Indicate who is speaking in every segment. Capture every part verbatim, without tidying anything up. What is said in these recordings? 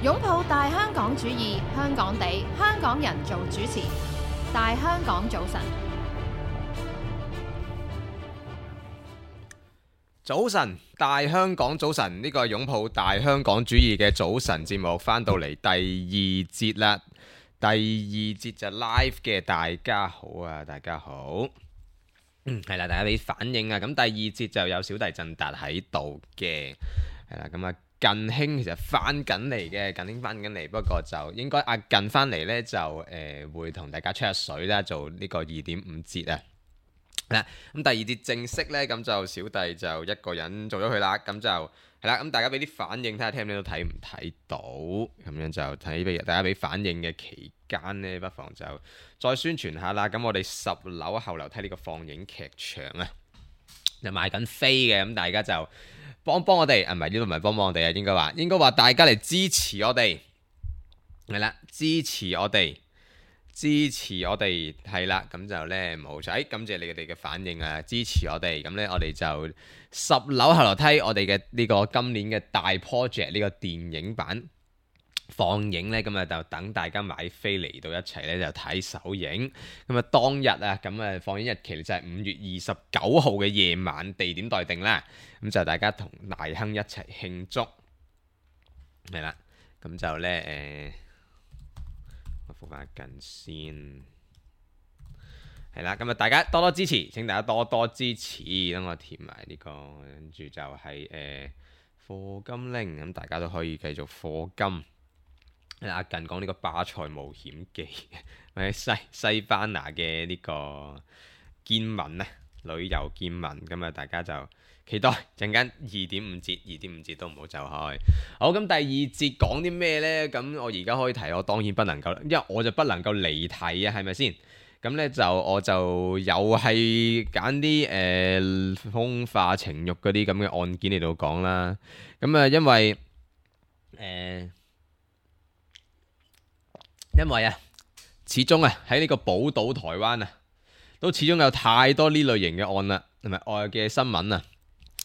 Speaker 1: 擁抱大香港主義，香港地，香港人做主持。大香港早晨，
Speaker 2: 早晨，大香港早晨，呢個係擁抱大香港主義嘅早晨節目翻到嚟第二節啦。第二節就 live 嘅，大家好啊，大家好。嗯，係啦，大家俾反應啊。咁第二節就有小弟振達喺度嘅，係啦。咁啊，近兄其實翻緊嚟嘅，近兄翻緊嚟，不過就應該阿近翻嚟呢，就誒、呃、會同大家吹下水啦，做呢個二點五節啊。係啦，咁第二節正式呢，咁就小弟就一個人做咗佢啦。咁就係啦，咁大家俾啲反應，睇下聽唔聽到，睇唔睇到，咁樣就睇俾大家俾反應嘅期間呢，不妨就再宣傳下啦。咁我哋十樓後樓梯呢個放映劇場啊，就賣緊飛嘅，咁大家就幫幫我哋，啊唔係呢度唔係幫幫我哋啊，應該話應該話大家嚟支持我哋，係啦，支持我哋。支持我哋係啦，咁就呢冇錯，感謝你哋嘅反應啊！支持我哋，咁呢，我哋就十樓後樓梯，我哋嘅呢個今年嘅大 project 呢個電影版放映呢，咁啊就等大家買飛嚟到一齊呢，就睇首映。咁啊當日啊，咁啊放映日期就係五月二十九號嘅夜晚，地點待定啦。咁就大家同大亨一齊慶祝，係啦，咁就呢。誒、呃。我覆返近先，係啦，咁啊大家多多支持，請大家多多支持，等我填埋呢、這個，跟住就係誒課金拎，咁大家都可以繼續課金。阿近講呢個巴塞冒險記，或者西西班牙嘅呢個見聞啊，旅遊見聞，咁啊大家就期待陣間二點五節，二點五節都唔好走開。好，咁第二節講啲咩呢？咁我而家可以提，我當然不能夠，因為我就不能夠離題啊，係咪先？咁呢，就我就又係揀啲誒風化情慾嗰啲咁嘅案件嚟到講啦。咁啊，因為誒、呃，因為啊，始終啊喺呢個寶島台灣啊，都始終有太多呢類型嘅案啦，同埋愛嘅新聞啊。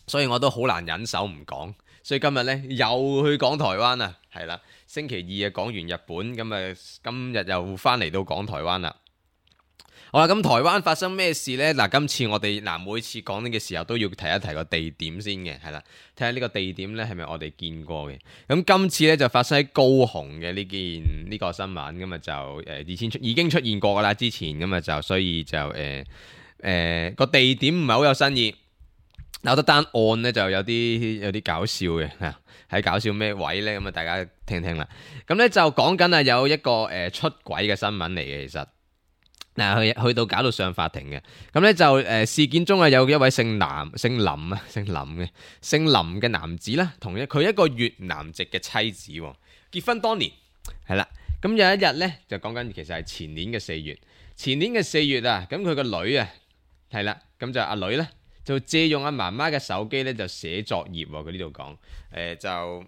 Speaker 2: 所以我都好難忍手唔講，所以今日呢，又去講台灣啊，係啦，星期二啊講完日本，咁啊今日又翻嚟到講台灣啦。好啦，咁台灣發生咩事呢？嗱，今次我哋嗱每次講呢嘅時候都要提一提個地點先嘅，係啦，睇下呢個地點呢係咪我哋見過嘅。咁今次呢，就發生喺高雄嘅呢件呢、呢個新聞，咁啊就誒以前出已經出現過噶啦，之前咁啊就所以就誒誒個地點唔係好有新意。有得單案呢就有啲有啲搞笑嘅嚇，喺搞笑咩位呢？咁啊大家聽聽啦。咁呢就講緊啊有一個誒、呃、出軌嘅新聞嚟嘅，其實嗱去去到搞到上法庭嘅。咁呢就誒、呃、事件中啊有一位姓南姓林啊姓林嘅姓林嘅男子啦，同一佢一個越南籍嘅妻子結婚多年係啦。咁有一日呢，就講緊其實係前年嘅四月，前年嘅四月啊，咁佢個女啊係啦，咁就阿女呢。就借用阿媽媽嘅手機咧，就寫作業喎。佢呢度講，誒、呃、就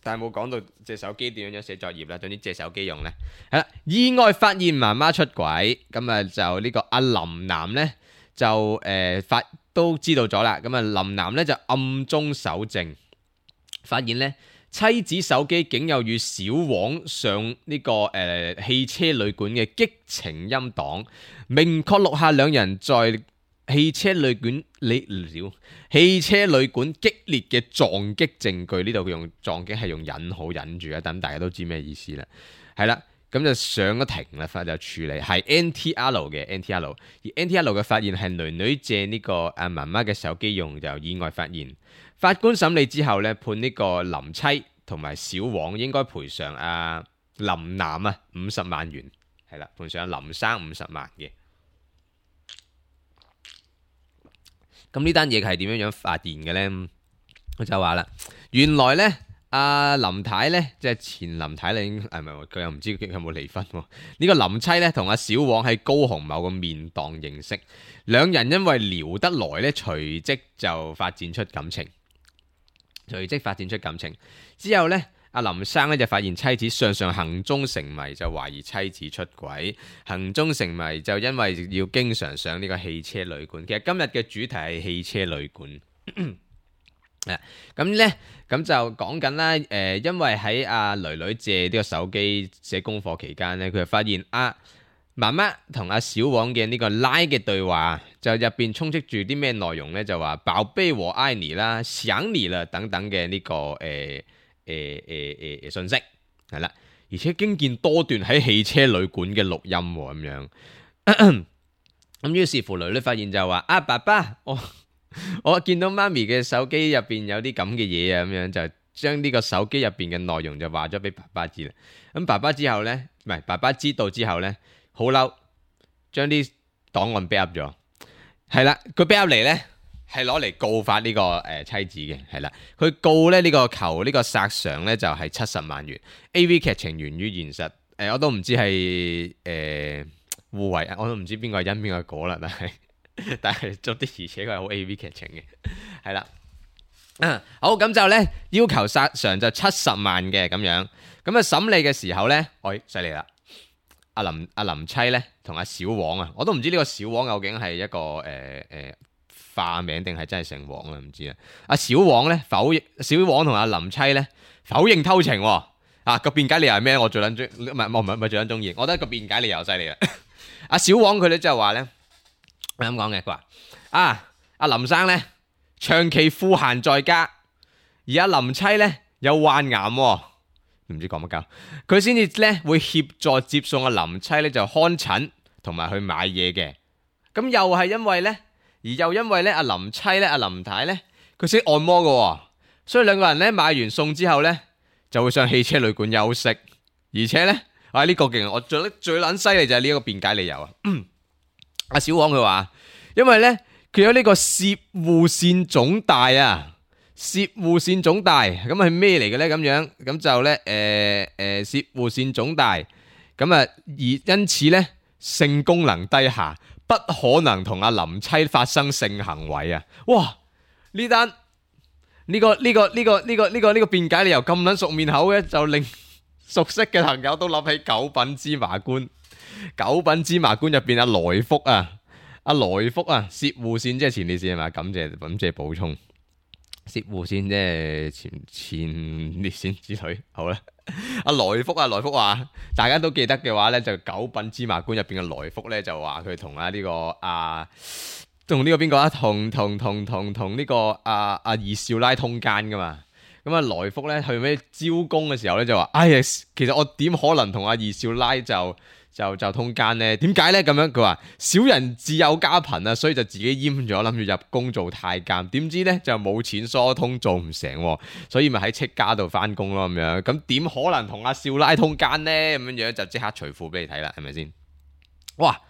Speaker 2: 但係冇講到隻手機點樣樣寫作業啦。總之借手機用咧，係啦。意外發現媽媽出軌，咁啊就呢個阿林男咧就誒、呃、發都知道咗啦。咁啊林男咧就暗中搜證，發現咧妻子手機竟有與小王上呢、這個誒、呃、汽車旅館嘅激情音檔，明確錄下兩人在汽車旅館你了，汽車旅館激烈嘅撞擊證據。呢度佢用撞擊係用引號引住啊，等大家都知咩意思啦。係啦，咁就上咗庭啦，法就處理係 N T R 嘅 N T R， 而 N T R 嘅發現係女女借呢個阿媽媽嘅手機用，就意外發現。法官審理之後呢，判呢個林妻同埋小王應該賠償阿林男啊五十萬元，係啦，賠償阿林生五十萬嘅。咁呢單嘢係點樣樣發現嘅呢？佢就話啦，原來呢，阿林太呢，即係前林太咧，係咪佢又唔知佢有冇離婚喎？呢個林妻呢，同阿小王喺高雄某個麵檔認識，兩人因為聊得來呢，隨即就發展出感情，隨即發展出感情之後呢。阿林生咧就發現妻子常常行蹤成謎，就懷疑妻子出軌。行蹤成謎就因為要經常上呢個汽車旅館。其實今日嘅主題係汽車旅館，咁咧，咁就講緊啦。誒、呃，因為喺阿囡囡借呢個手機寫功課期間咧，佢就發現阿媽媽同阿小王嘅呢個拉嘅對話，就入邊充斥住啲咩內容咧？就話寶貝我愛你啦、想你啦等等嘅呢、這個誒誒誒誒信息係啦，而且經見多段喺汽車旅館嘅錄音咁樣。咁於是乎，囡囡發現就話：啊，爸爸，我。我見到媽咪嘅手機入邊有啲咁嘅嘢啊，咁樣就將呢個手機入邊嘅內容就話咗俾爸爸知啦。咁爸爸之後呢，唔係爸爸知道之後呢，好嬲，將啲檔案 backup 咗。係啦，佢 backup 嚟呢，係攞嚟告發呢、這個誒、呃、妻子嘅。係啦，佢告咧呢、這個求呢個索償呢，就係七十萬元。A V 劇情源於現實，誒、呃、我都唔知係誒互為，我都唔知邊個係因邊個果啦，但係。但係做啲而且佢係好 A V 劇情嘅，係啦，啊好咁就咧要求索償就七十萬嘅咁樣，咁啊審理嘅時候咧，喂犀利啦，阿林阿林妻咧同阿小王啊，我都唔知呢個小王究竟係一個誒誒、呃呃、化名定係真係姓王啊，唔知啊。阿小王咧否認，小王同阿林妻咧否認偷情、哦，啊個辯解理由係咩？我最捻中唔係我唔係唔係最捻中意，我覺得個辯解理由犀利啦。阿小王佢咧就話咧。咁講嘅，佢話啊，阿林生咧長期賦閒在家，而阿林妻咧有患癌、哦，唔知講乜鳩，佢先至咧會協助接送阿林妻咧就看診同埋去買嘢嘅。咁又係因為咧，而又因為咧阿林妻咧阿林太咧佢識按摩嘅、哦，所以兩個人咧買完餸之後咧就會上汽車旅館休息，而且咧啊呢、這個勁，我最最撚犀利就係呢一個辯解理由啊。阿小王佢話，因為咧佢有呢個攝護腺腫大啊，攝護腺腫大咁係咩嚟嘅咧？咁樣咁就咧誒誒攝護腺腫大咁啊，而因此咧性功能低下，不可能同阿林妻發生性行為啊！哇，呢單呢個呢個呢個呢個呢個呢個辯解理由咁撚熟面口嘅，就令熟悉嘅朋友都諗起九品芝麻官。九品芝麻官入邊阿來福啊，阿來福啊，攝護腺即係前列腺係嘛？感謝感謝補充，攝護腺即係前前列腺之類。好啦，阿來福啊，來福話大家都記得嘅話咧，就九品芝麻官入邊嘅來福咧就話佢同啊呢個啊同呢個邊個啊，同同同同同呢個阿阿二少奶通姦噶嘛。咁啊來福咧去咩招工嘅時候咧就話，哎呀，其實我點可能同阿二少奶就就就通姦呢？點解呢？咁樣佢話小人自幼家貧啊，所以就自己閹咗，諗住入宮做太監。點知呢，就冇錢疏通，做唔成，所以咪喺戚家度翻工咯咁樣。咁點可能同阿少奶通姦呢？咁樣樣就即刻除褲俾你睇啦，係咪先？哇！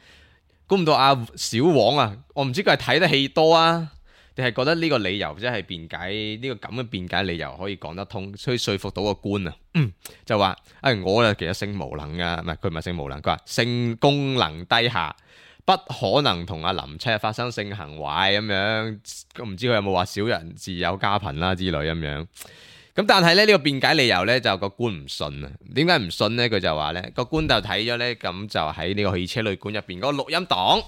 Speaker 2: 估唔到阿小王啊，我唔知佢係睇得戲多啊，定係覺得呢個理由即係辯解呢、這個咁嘅辯解理由可以講得通，所以說服到個官啊，嗯、就話誒、哎、我啊其實性無能噶，唔係佢唔係性無能，佢話性功能低下，不可能同阿林妻發生性行為咁樣，唔知佢有冇話小人自有家貧啦之類咁樣。咁但係咧呢、這個辯解理由咧就個官唔信啊，點解唔信咧？佢就話咧個官就睇咗咧，咁就喺呢個汽車旅館入邊嗰個錄音檔，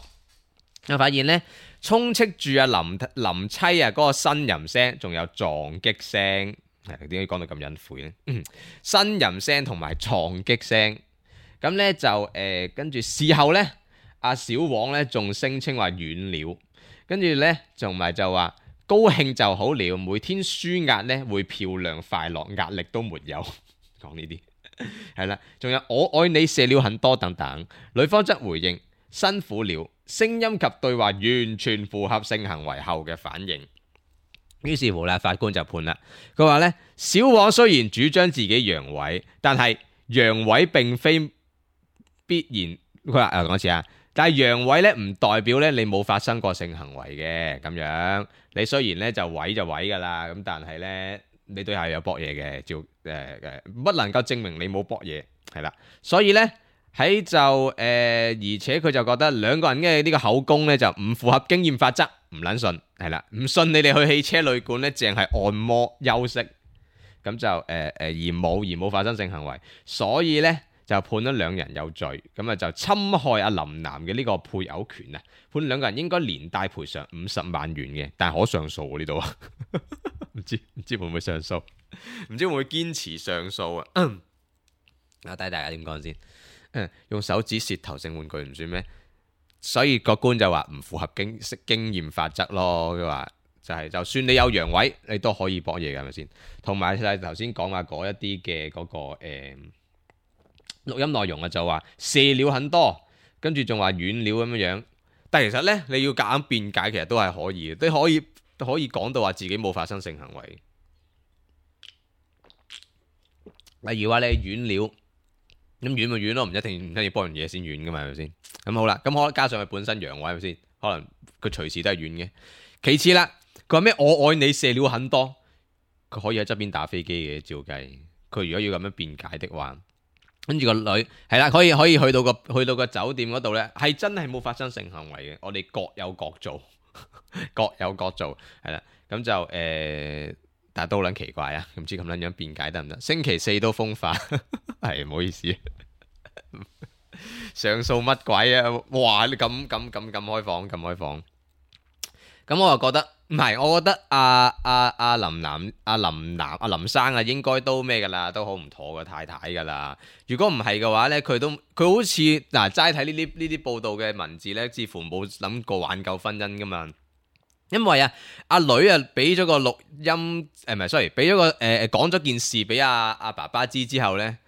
Speaker 2: 就發現咧。充斥住阿林林妻啊嗰個呻吟聲，仲有撞擊聲，係點解講到咁隱晦咧？呻吟聲同埋撞擊聲，咁咧就誒跟住事後咧，阿小王咧仲聲稱話軟了，跟住咧仲埋就話高興就好了，每天舒壓咧會漂亮快樂，壓力都沒有。講呢啲係啦，仲有我愛你射了很多等等，女方則回應辛苦了。聲音及對話完全符合性行為後嘅反應，於是乎啦，法官就判啦。佢話咧，小王雖然主張自己陽痿，但係陽痿並非必然。佢話誒講一次啊，但係陽痿咧唔代表咧你冇發生過性行為嘅咁樣。你雖然咧就痿就痿噶啦，咁但係咧你對下有搏嘢嘅，照誒誒不能夠證明你冇搏嘢係啦。所以咧。喺就誒、呃，而且佢就覺得兩個人嘅呢個口供咧就唔符合經驗法則，唔撚信係啦，唔信你哋去汽車旅館咧，淨係按摩休息，咁就誒誒、呃、而冇而冇發生性行為，所以咧就判咗兩人有罪，咁啊就侵害阿林南嘅呢個配偶權啊，判兩個人應該連帶賠償五十萬元嘅，但係可上訴呢度啊，唔知唔知會唔會上訴，唔知會唔會堅持上訴啊？啊，睇大家點講先。嗯，用手指舌頭性玩具唔算咩？所以個官就話唔符合經經驗法則咯。佢話就係、是、就算你有陽痿，你都可以搏嘢嘅，係咪先？同埋就係頭先講話嗰一啲嘅嗰個誒。嗯錄音內容啊，就話射料很多，跟住仲話軟料咁樣樣，但係其實呢，你要夾硬辯解，其實都係可以嘅，都可以都可以講到話自己冇發生性行為。例如話你係軟料，咁軟咪軟咯，唔一定唔一定要幫人嘢先軟噶嘛，係咪先？咁好啦，咁可能加上佢本身陽痿係咪先？可能佢隨時都係軟嘅。其次啦，佢話咩？我愛你射料很多，佢可以喺側邊打飛機嘅，照計。佢如果要咁樣辯解的話。跟住個女係啦，可以可以去到個去到個酒店嗰度呢，係真係冇發生性行為嘅。我哋各有各做，各有各做係啦。咁就誒、呃，但係都好撚奇怪啊！唔知咁撚樣辯解得唔得？星期四都風化，係唔好意思，上訴乜鬼啊？哇！你咁咁咁咁開放咁開放，咁我就覺得。唔係，我覺得阿阿阿林南、阿、啊、林南、阿、啊、林生啊，應該都咩噶啦，都好唔妥個太太噶啦。如果唔係嘅話呢，佢都佢好似嗱齋睇呢啲呢啲報道嘅文字呢，似乎冇諗過挽救婚姻噶嘛。因為啊，阿女啊俾咗個錄音誒，唔、呃、係，sorry，俾咗個誒誒講咗件事俾阿阿爸爸知之後呢，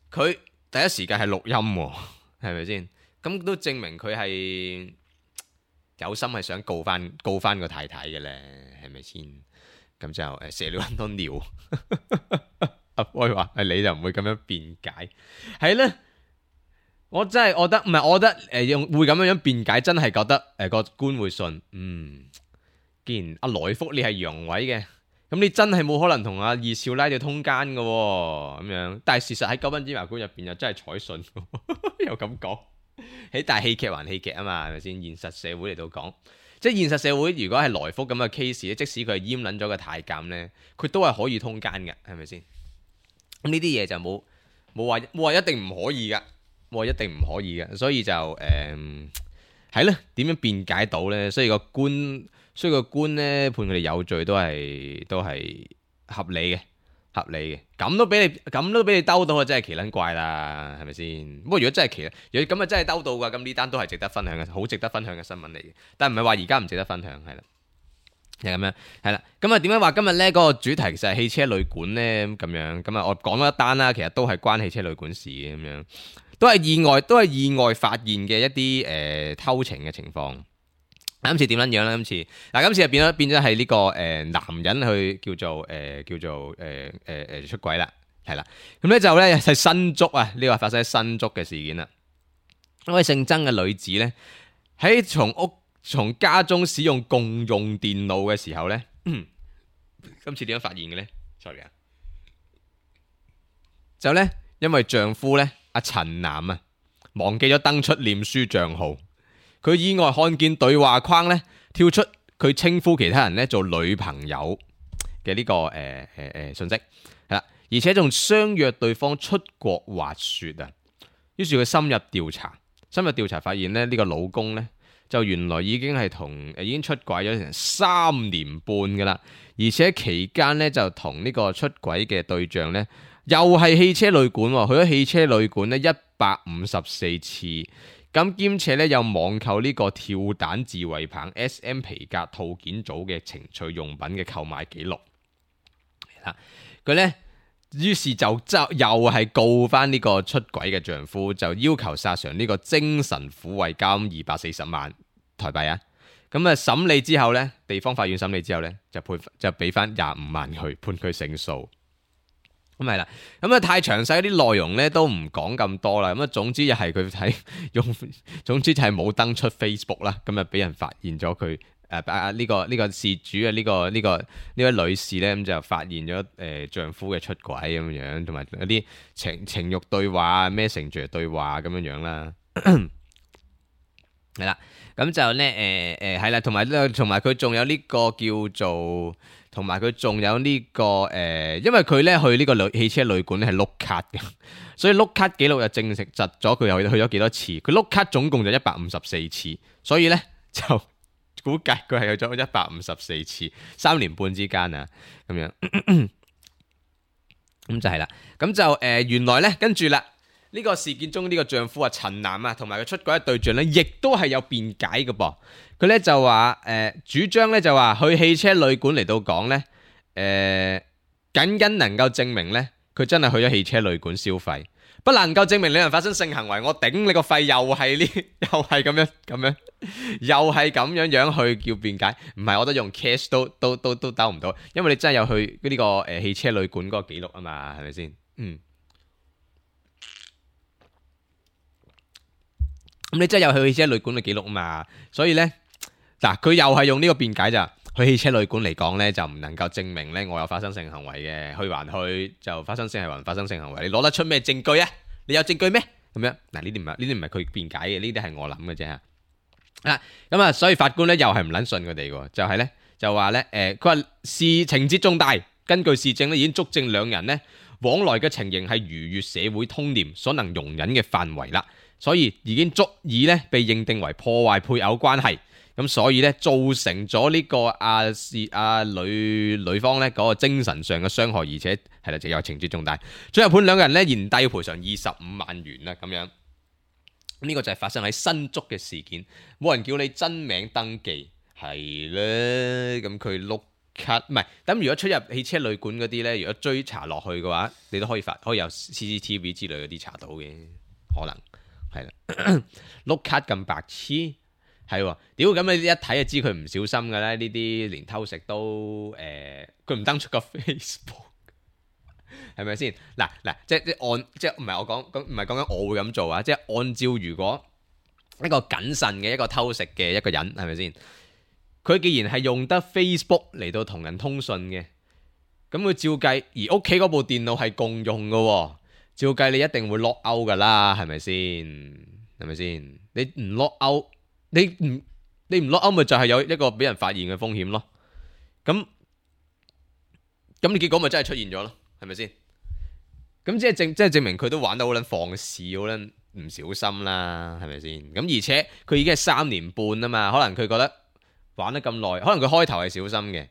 Speaker 2: 佢第一時間係錄音喎，係咪先？咁都證明佢係。有心係想告翻告翻個太太嘅咧，係咪先？咁就誒射了很多尿。阿威話：係你就唔會咁樣辯解，係咧。我真係覺得唔係，我覺得誒用、呃、會咁樣樣辯解，真係覺得誒、呃、個官會信。嗯，既然阿來福你係陽痿嘅，咁你真係冇可能同阿二少奶就通姦嘅喎，咁樣。但係事實喺九品芝麻官入邊又真係採信，又咁講。喺大戲劇還戲劇啊嘛，係咪先？現實社會嚟到講，即係現實社會，如果係來福咁嘅 case 咧，即使佢係閹撚咗個太監咧，佢都係可以通姦嘅，係咪先？咁呢啲嘢就冇冇話冇話一定唔可以噶，冇話一定唔可以嘅，所以就誒係咧，點樣辯解到咧？所以個官，所以個官咧判佢哋有罪都係都係合理嘅。合理嘅，咁都俾你咁都俾你兜到啊！真係奇撚怪啦，係咪先？不過如果真係奇，如果咁啊真係兜到㗎，咁呢單都係值得分享嘅，好值得分享嘅新聞嚟嘅。但係唔係話而家唔值得分享，係啦，係咁樣，係啦。咁啊點解話今日咧嗰個主題其實係汽車旅館咧咁樣？咁啊我講咗一單啦，其實都係關汽車旅館事嘅咁樣，都係意外，都係意外發現嘅一啲誒、呃、偷情嘅情況。今次點樣樣咧？今次嗱，今次就變咗變咗係呢個誒、呃、男人去叫做誒、呃、叫做誒誒誒出軌啦，係啦。咁咧就咧係新竹啊，呢個發生喺新竹嘅事件啦。一位姓曾嘅女子咧喺從屋從家中使用共用電腦嘅時候咧，今次點樣發現嘅咧 ？sorry 啊，就咧因為丈夫咧阿陳男啊忘記咗登出臉書賬號。佢意外看見對話框咧跳出佢稱呼其他人咧做女朋友嘅呢、這個誒誒誒信息，係啦，而且仲相約對方出國滑雪啊。於是佢深入調查，深入調查發現咧呢、這個老公咧就原來已經係同誒已經出軌咗成三年半噶啦，而且期間咧就同呢個出軌嘅對象咧又係汽車旅館，去咗汽車旅館咧一百五十四次。咁兼且咧有網購呢個跳彈自衛棒 S M 皮革套件組嘅情趣用品嘅購買記錄，佢咧於是就就又係告翻呢個出軌嘅丈夫，就要求索償呢個精神撫慰金二百四十萬台幣啊！咁啊審理之後咧，地方法院審理之後咧就判就俾翻廿五萬佢，判佢勝訴。咁係啦，咁啊太詳細啲內容咧都唔講咁多啦。咁啊總之就係佢睇用，總之就係冇登出 Facebook 啦。咁啊俾人發現咗佢誒啊呢個呢、呢個事主啊呢、呢個呢、呢個呢位女士咧咁就發現咗誒、呃、丈夫嘅出軌咁樣，同埋嗰啲情情慾對話、Messenger 對話咁樣樣啦。係啦，咁就咧誒誒係啦，同埋咧同埋佢仲有呢個叫做，同埋佢仲有呢、這個誒、呃，因為佢咧去呢個旅汽車旅館咧係碌卡嘅，所以碌卡記錄又證實咗佢又去咗幾多次，佢碌卡總共就一百五十四次，所以咧就估計佢係去咗一百五十四次，三年半之間啊，咁樣，咁就係啦，咁就誒、呃、原來咧跟住啦。呢個事件中呢個丈夫啊陳男啊，同埋佢出軌嘅對象咧，亦都係有辯解嘅噃。佢咧就話誒、呃、主張咧就話去汽車旅館嚟到講咧，誒、呃、僅僅能夠證明咧佢真係去咗汽車旅館消費，不能夠證明兩人發生性行為。我頂你個肺，又係呢，又係咁樣咁樣，又係咁樣樣去叫辯解。唔係，我覺得用 cash 都都都都兜唔到，因為你真係有去呢、這個誒、呃、汽車旅館嗰個記錄啊嘛，係咪先？嗯。咁你真係有去汽車旅館嘅記錄啊嘛，所以呢，嗱佢又係用呢個辯解咋，去汽車旅館嚟講呢，就唔能夠證明呢我有發生性行為嘅，去還去就發生性行為，發生性行為，你攞得出咩證據啊？你有證據咩？咁樣嗱，呢啲唔係呢啲唔係佢辯解嘅，呢啲係我諗嘅啫嚇。啊咁啊，所以法官呢又係唔撚信佢哋喎，就係、是、呢，就話呢，誒佢話事情節重大，根據事證呢已經足證兩人呢往來嘅情形係逾越社會通念所能容忍嘅範圍啦。所以已經足以咧被認定為破壞配偶關係，咁所以咧造成咗呢個阿是阿女女方咧嗰個精神上嘅傷害，而且係啦，就有情節重大。最後判兩個人咧原底要賠償二十五萬元啦，咁樣。呢、這個就係發生喺新竹嘅事件，冇人叫你真名登記，係咧，咁佢碌卡唔係。咁如果出入汽車旅館嗰啲咧，如果追查落去嘅話，你都可以發可以有 C C T V 之類嗰啲查到嘅，可能。係啦，碌卡咁白痴，係喎，屌咁你一睇就知佢唔小心嘅咧，呢啲連偷食都誒，佢、呃、唔登出個 Facebook，係咪先？嗱嗱，即係即係按即係唔係我講，咁唔係講緊我會咁做啊，即係按照如果一個謹慎嘅一個偷食嘅一個人，係咪先？佢既然係用得 Facebook 嚟到同人通訊嘅，咁佢照計，而屋企嗰部電腦係共用嘅喎。照計你一定會 lock out 噶啦，係咪先？係咪先？你唔 lock out，你唔你唔 lock out，咪就係有一個俾人發現嘅風險咯。咁咁你結果咪真係出現咗咯，係咪先？咁即係證即係證明佢都玩得好撚放肆，好撚唔小心啦，係咪先？咁而且佢已經係三年半啊嘛，可能佢覺得玩得咁耐，可能佢開頭係小心嘅，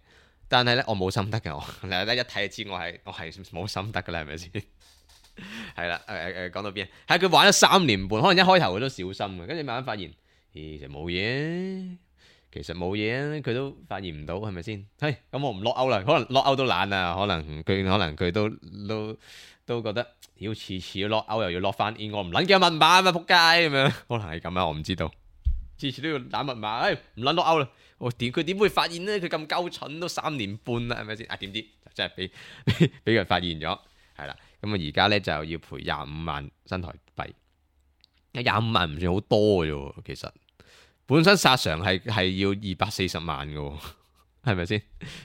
Speaker 2: 但係咧我冇心得嘅，我嗱一睇就知我係我係冇心得噶啦，係咪先？係啦，誒誒，講到邊？係佢玩咗三年半，可能一開頭佢都小心嘅，跟住慢慢發現，其實冇嘢，其實冇嘢，佢都發現唔到，係咪先？係咁，我唔 lock out 啦，可能 lock out 都懶啊，可能佢可能佢都都都覺得，要次次 lock out 又要 lock 翻 in，我唔撚記密碼啊嘛，仆街咁樣，可能係咁啊，我唔知道，次次都要打密碼，誒唔撚 lock out 啦，我點佢點會發現呢？佢咁鳩蠢都三年半啦，係咪先？啊點知真係俾俾佢發現咗，係啦。咁啊，而家咧就要賠廿五萬新台幣，廿五萬唔算好多嘅啫，其實本身殺常係係要二百四十萬嘅，係咪先？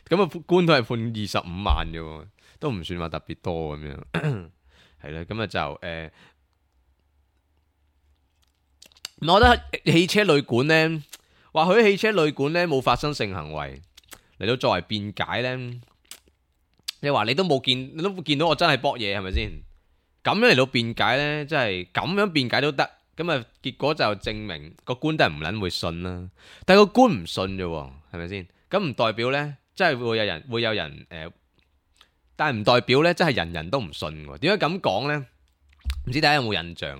Speaker 2: 咁啊，官都係判二十五萬嘅，都唔算話特別多咁樣，係啦。咁啊就誒、呃，我覺得汽車旅館咧，話佢汽車旅館咧冇發生性行為嚟到作為辯解咧。你話你都冇見，你都見到我真係搏嘢，係咪先？咁樣嚟到辯解呢，真係咁樣辯解都得。咁啊，結果就證明個官都係唔撚會信啦。但係個官唔信啫，係咪先？咁唔代表呢，真係會有人會有人誒、呃，但係唔代表呢，真係人人都唔信。點解咁講呢？唔知大家有冇印象？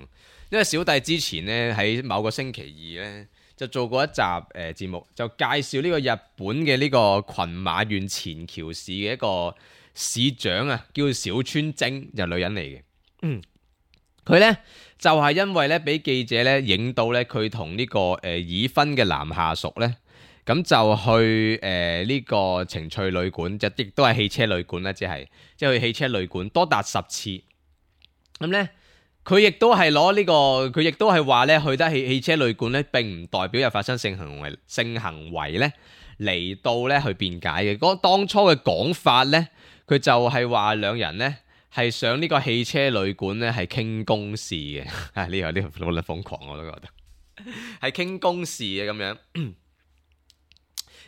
Speaker 2: 因為小弟之前呢，喺某個星期二呢，就做過一集誒節目，就介紹呢個日本嘅呢個群馬縣前橋市嘅一個市長啊，叫小川晶，就女人嚟嘅。嗯，佢呢就係、是、因為呢俾記者呢影到呢，佢同呢個誒、呃、已婚嘅男下屬呢，咁就去誒呢、呃這個情趣旅館，就亦都係汽車旅館啦，即係即係去汽車旅館多達十次。咁呢，佢亦都係攞呢個，佢亦都係話呢，去得汽汽車旅館呢並唔代表有發生性行為性行為呢嚟到呢去辯解嘅。嗰當初嘅講法呢。佢就係話兩人呢係上呢個汽車旅館呢係傾公事嘅，啊呢個呢個好撚瘋狂我都覺得，係傾公事嘅咁樣。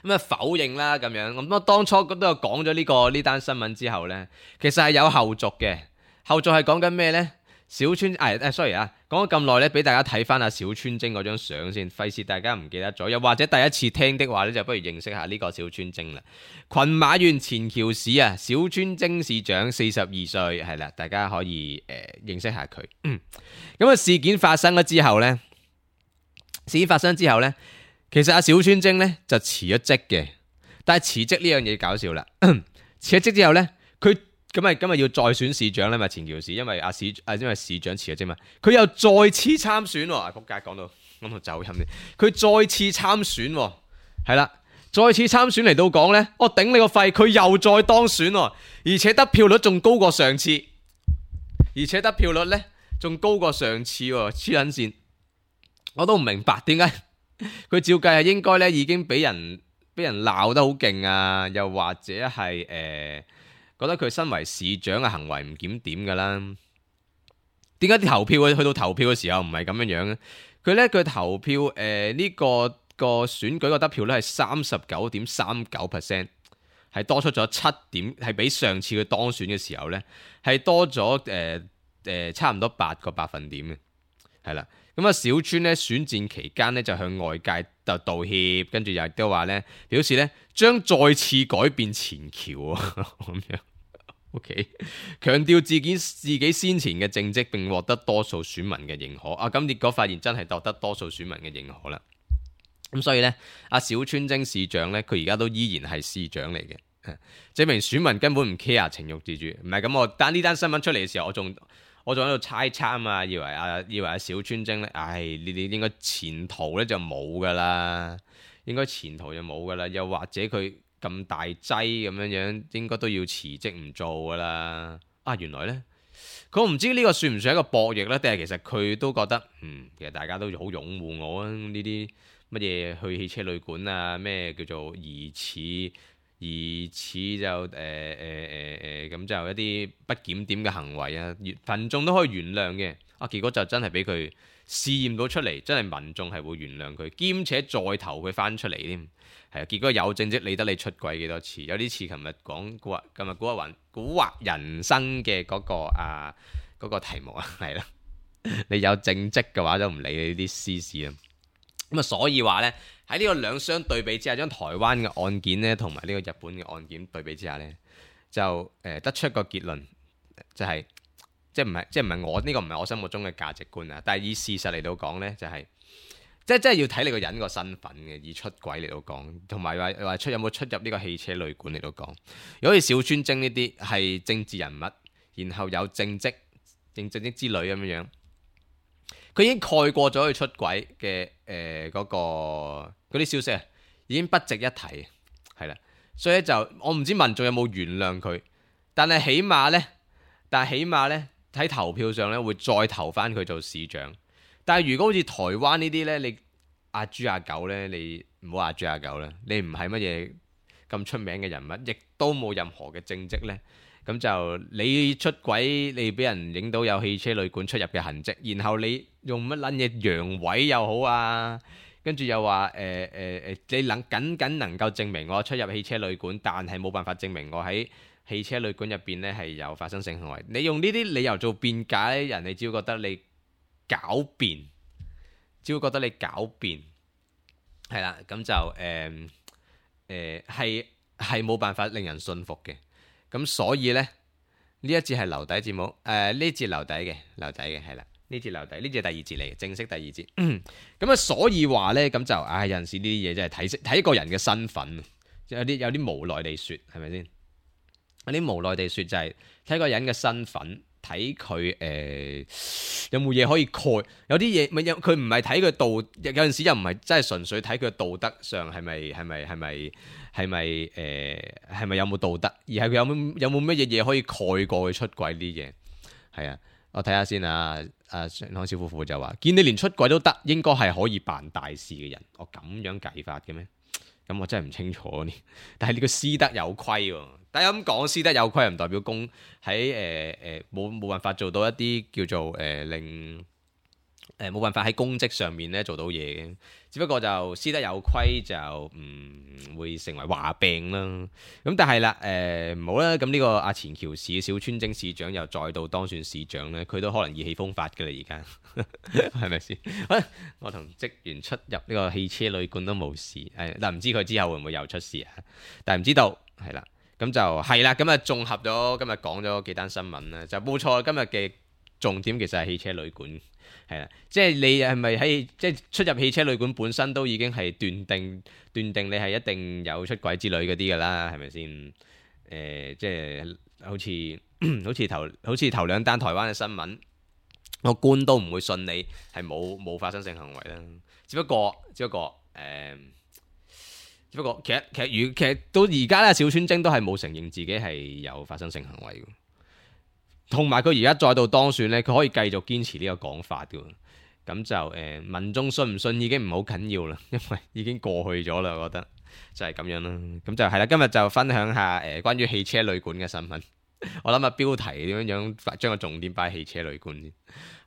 Speaker 2: 咁啊否認啦咁樣。咁我當初都有講咗呢個呢單新聞之後呢，其實係有後續嘅。後續係講緊咩呢？小川誒誒，sorry 啊，講咗咁耐咧，俾大家睇翻阿小川晶嗰張相先，費事大家唔記得咗，又或者第一次聽的話咧，就不如認識下呢個小川晶啦。群馬縣前橋市啊，小川晶市長四十二歲，係啦，大家可以誒、呃、認識下佢。嗯，咁啊事件發生咗之後呢，事件發生之後呢，其實阿小川晶呢就辭咗職嘅，但係辭職呢樣嘢搞笑啦，辭咗職之後呢，佢。咁咪今日要再選市長咧嘛？前橋市，因為阿市啊，因為市長辭咗職嘛，佢又再次參選喎。啊，仆街講到講到走音啲，佢再次參選喎，係啦，再次參選嚟到講咧，我頂你個肺，佢又再當選喎，而且得票率仲高過上次，而且得票率咧仲高過上次喎，黐撚線，我都唔明白點解佢照計係應該咧已經俾人俾人鬧得好勁啊，又或者係誒。呃覺得佢身為市長嘅行為唔檢點㗎啦，點解啲投票去到投票嘅時候唔係咁樣樣咧？佢咧佢投票誒呢、呃這個個選舉個得票咧係三十九點三九 percent， 係多出咗七點，係比上次佢當選嘅時候咧係多咗誒誒差唔多八個百分點嘅，係啦。咁啊小川咧選戰期間咧就向外界就道歉，跟住又都話咧表示咧將再次改變前橋咁樣。O.K. 強調自己自己先前嘅政績並獲得多數選民嘅認可啊！咁結果發現真係獲得多數選民嘅認可啦。咁所以呢，阿小川晶市長呢，佢而家都依然係市長嚟嘅，證明選民根本唔 care 情慾自主。唔係咁，我單呢單新聞出嚟嘅時候，我仲我仲喺度猜測啊，以為阿以為阿小川晶呢，唉，你哋應該前途呢就冇噶啦，應該前途就冇噶啦，又或者佢。咁大劑咁樣樣，應該都要辭職唔做噶啦。啊，原來呢，佢唔知呢個算唔算一個博弈呢？定係其實佢都覺得，嗯，其實大家都好擁護我啊。呢啲乜嘢去汽車旅館啊，咩叫做疑似疑似就誒誒誒誒咁就一啲不檢點嘅行為啊，群眾都可以原諒嘅。啊，結果就真係俾佢試驗到出嚟，真係民眾係會原諒佢，兼且再投佢翻出嚟添。係啊，結果有政績理得你出軌幾多次？有啲似琴日講古惑，今日古惑雲古惑人生嘅嗰、嗰個啊嗰、嗰個題目啊，係啦。你有政績嘅話，就唔理你啲私事啊。咁啊，所以話呢，喺呢個兩相對比之下，將台灣嘅案件呢同埋呢個日本嘅案件對比之下呢，就誒、呃、得出一個結論，就係、係、即係唔係即係唔係我呢、呢個唔係我心目中嘅價值觀啊。但係以事實嚟到講呢，就係、係。即係真係要睇你個人個身份嘅，以出軌嚟到講，同埋話話出有冇出入呢個汽車旅館嚟到講。如果好似小川晶呢啲係政治人物，然後有政績、政政績之類咁樣樣，佢已經蓋過咗佢出軌嘅誒嗰個嗰啲消息啊，已經不值一提，係啦。所以就我唔知民眾有冇原諒佢，但係起碼呢，但係起碼呢，喺投票上呢會再投翻佢做市長。但係如果好似台灣呢啲呢，你阿豬阿狗呢，你唔好阿豬阿狗啦，你唔係乜嘢咁出名嘅人物，亦都冇任何嘅政績呢。咁就你出軌，你俾人影到有汽車旅館出入嘅痕跡，然後你用乜撚嘢陽痿又好啊，跟住又話誒誒誒，你能僅僅能夠證明我出入汽車旅館，但係冇辦法證明我喺汽車旅館入邊呢係有發生性行為。你用呢啲理由做辯解，人哋只會覺得你狡辯，只會覺得你狡辯，係啦，咁就誒誒係係冇辦法令人信服嘅。咁所以呢，呢一節係留底節目，誒、呃、呢節留底嘅，留底嘅係啦，呢節留底，呢節係第二節嚟嘅，正式第二節。咁啊，所以話呢，咁就唉、哎，有陣時呢啲嘢真係睇睇一個人嘅身份，有啲有啲無奈地説，係咪先？有啲無奈地説就係睇個人嘅身份。睇佢誒有冇嘢可以蓋，有啲嘢咪有佢唔係睇佢道，有陣時又唔係真係純粹睇佢道德上係咪係咪係咪係咪誒係咪有冇道德，而係佢有冇有冇乜嘢嘢可以蓋過佢出軌啲嘢。係啊，我睇下先啊。阿上康小夫婦就話：見你連出軌都得，應該係可以辦大事嘅人。我咁樣計法嘅咩？咁我真係唔清楚呢。但係呢個私德有虧喎。但係咁講，私德有虧唔代表公喺誒誒冇冇辦法做到一啲叫做誒、呃、令誒冇辦法喺公職上面咧做到嘢嘅，只不過就私德有虧就唔、嗯、會成為話病啦。咁但係啦，誒唔好啦，咁呢個阿前橋市小川征市長又再度當選市長咧，佢都可能意氣風發嘅啦，而家係咪先？我同職員出入呢個汽車旅館都冇事，誒但唔知佢之後會唔會又出事啊？但係唔知道，係啦，咁就係啦，咁啊綜合咗今日講咗幾單新聞啦，就冇錯，今日嘅重點其實係汽車旅館。係啦，即係你係咪喺即係出入汽車旅館本身都已經係斷定斷定你係一定有出軌之類嗰啲㗎啦，係咪先？誒、呃，即係好似好似頭好似頭兩單台灣嘅新聞，個官都唔會信你係冇冇發生性行為啦。只不過只不過誒、呃，只不過其實其實如其實到而家咧，小川征都係冇承認自己係有發生性行為嘅。同埋佢而家再度當選咧，佢可以繼續堅持呢個講法嘅，咁就誒、呃、民眾信唔信已經唔好緊要啦，因為已經過去咗啦，我覺得就係咁樣啦。咁就係啦，今日就分享下誒、呃、關於汽車旅館嘅新聞。我諗下標題點樣樣將個重點擺喺汽車旅館先，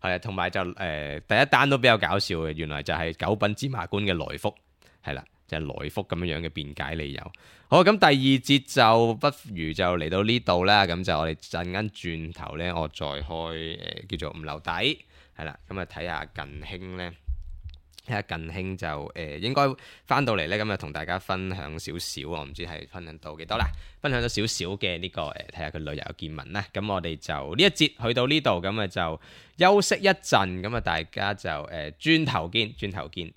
Speaker 2: 係啊，同埋就誒、呃、第一單都比較搞笑嘅，原來就係九品芝麻官嘅來福，係啦。就係來福咁樣樣嘅辯解理由。好，咁第二節就不如就嚟到呢度啦。咁就我哋陣間轉頭呢，我再開誒、呃、叫做五樓底，係啦。咁啊睇下近興呢，睇下近興就誒、呃、應該翻到嚟呢。咁啊同大家分享少少，我唔知係分享到幾多啦。分享咗少少嘅呢個誒，睇下佢旅遊見聞啦。咁我哋就呢一節去到呢度，咁啊就休息一陣。咁啊大家就誒轉頭見，轉頭見。